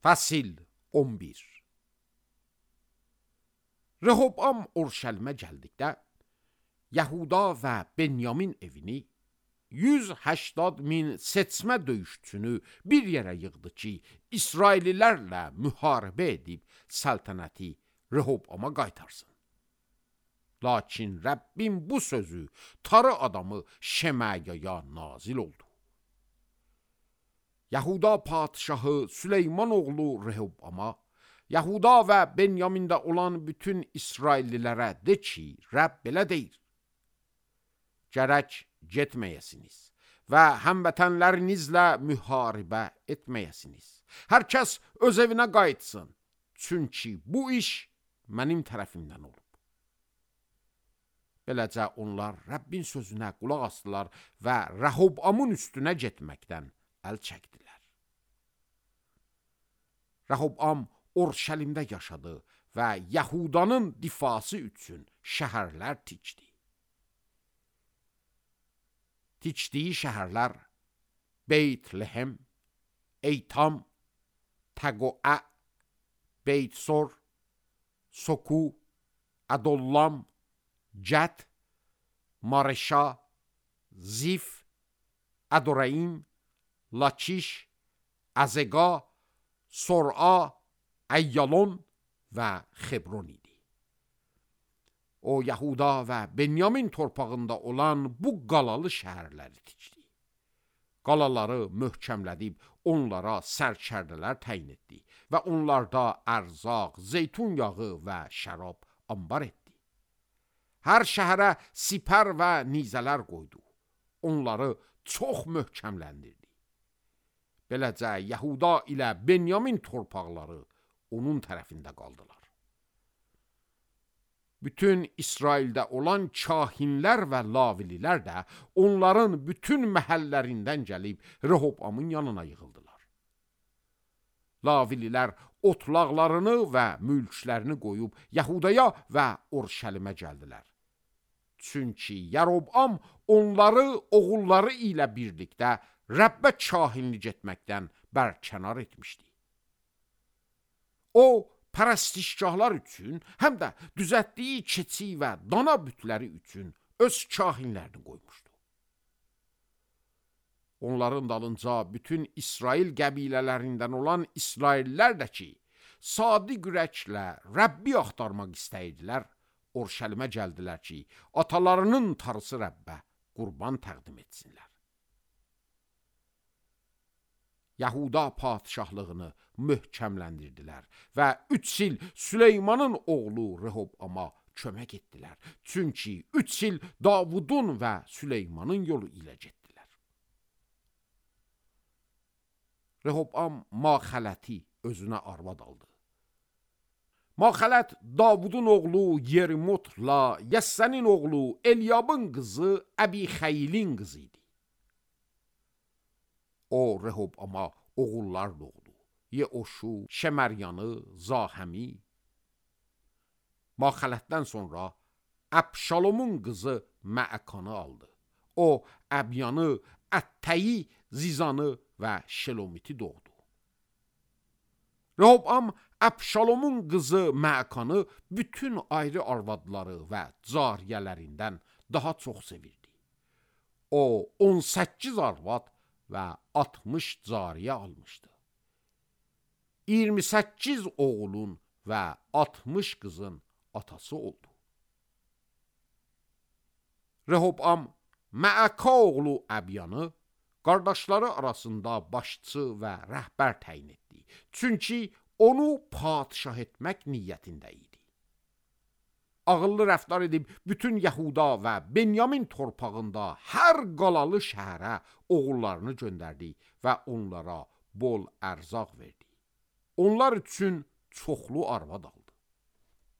Fəsil 11. Rehoboam Urşəlimə gəldikdə, Yahuda və Benyamin evini 180.000 seçmə döyüşçünü bir yerə yığdı ki, İsraillilərlə müharibə edib səltənəti Rehoboama qaytarsın. Lakin Rəbbin bu sözü tarı adamı Şemayaya nazil oldu. Yahuda padişahı Süleyman oğlu Rehoboama, Yahuda və Benyamində olan bütün İsraillilərə de ki, Rəbb belə deyir: Gərək getməyəsiniz və həmvətənlərinizlə müharibə etməyəsiniz. Hər kəs öz evinə qayıtsın, çünki bu iş mənim tərəfimdən olub. Beləcə onlar Rəbbin sözünə qulaq asdılar və Rehoboamın üstünə getməkdən əl çəkdilər. Rehoboam Urşəlimdə yaşadı və Yahudanın difası üçün şəhərlər tikdi. Tikdiyi şəhərlər Beytlehem, Eytam, Təqoə, Beytsor, Soku, Adollam, Cət, Mareşa, Zif, Adoraim, Lakiş, Azega, Sor'a, Əyyalon və Xebron idi. O, Yahuda və Benyamin torpağında olan bu qalalı şəhərləri tikdi. Qalaları möhkəmlədib onlara sərkərdələr təyin etdi və onlarda ərzaq, zeytun yağı və şərab ambar etdi. Hər şəhərə sipər və nizələr qoydu. Onları çox möhkəmləndirdi. Beləcə Yahuda ilə Benyamin torpaqları onun tərəfində qaldılar. Bütün İsraildə olan kahinlər və lavililər də onların bütün məhəllərindən gəlib Rehoboamın yanına yığıldılar. Lavililər otlaqlarını və mülklərini qoyub Yahudaya və Urşəlimə gəldilər. Çünki Rehoboam onları oğulları ilə birlikdə Rəbbə kahinlik etməkdən bərkənar etmişdi. O, pərəstişgahlar üçün, həm də düzəltdiyi keçi və dana bütləri üçün öz kahinlərini qoymuşdu. Onların dalınca bütün İsrail qəbilələrindən olan İsraillər də ki, sadiq ürəklə Rəbbi axtarmaq istəyirdilər, Urşəlimə gəldilər ki, atalarının tarısı Rəbbə qurban təqdim etsinlər. Yahuda padişahlığını möhkəmləndirdilər və 3 il Süleymanın oğlu Rehoboama kömək etdilər. Çünki 3 il Davudun və Süleymanın yolu ilə getdilər. Rehoboam Maxələti özünə arvad aldı. Maxələt Davudun oğlu Yerimotla Yəssənin oğlu Elyabın qızı Əbixəyilin qızı idi. O, Rehoboama oğullar doğdu. Yeoşu, Şəməryanı, Zahəmi. Maxələtdən sonra Əbşalomun qızı Məəkanı aldı. O, Əbyanı, Ətəyi, Zizanı və Şelomiti doğdu. Rehoboam Əbşalomun qızı Məəkanı bütün ayrı arvadları və cariyələrindən daha çox sevirdi. O, 18 arvad və 60 cariyə almışdı. 28 oğulun və 60 qızın atası oldu. Rehoboam Məəka oğlu Əbyanı qardaşları arasında başçı və rəhbər təyin etdi. Çünki onu padişah etmək niyyətində idi. Ağıllı rəftar edib bütün Yahuda və Benyamin torpağında hər qalalı şəhərə oğullarını göndərdi və onlara bol ərzaq verdi. Onlar üçün çoxlu arvad aldı.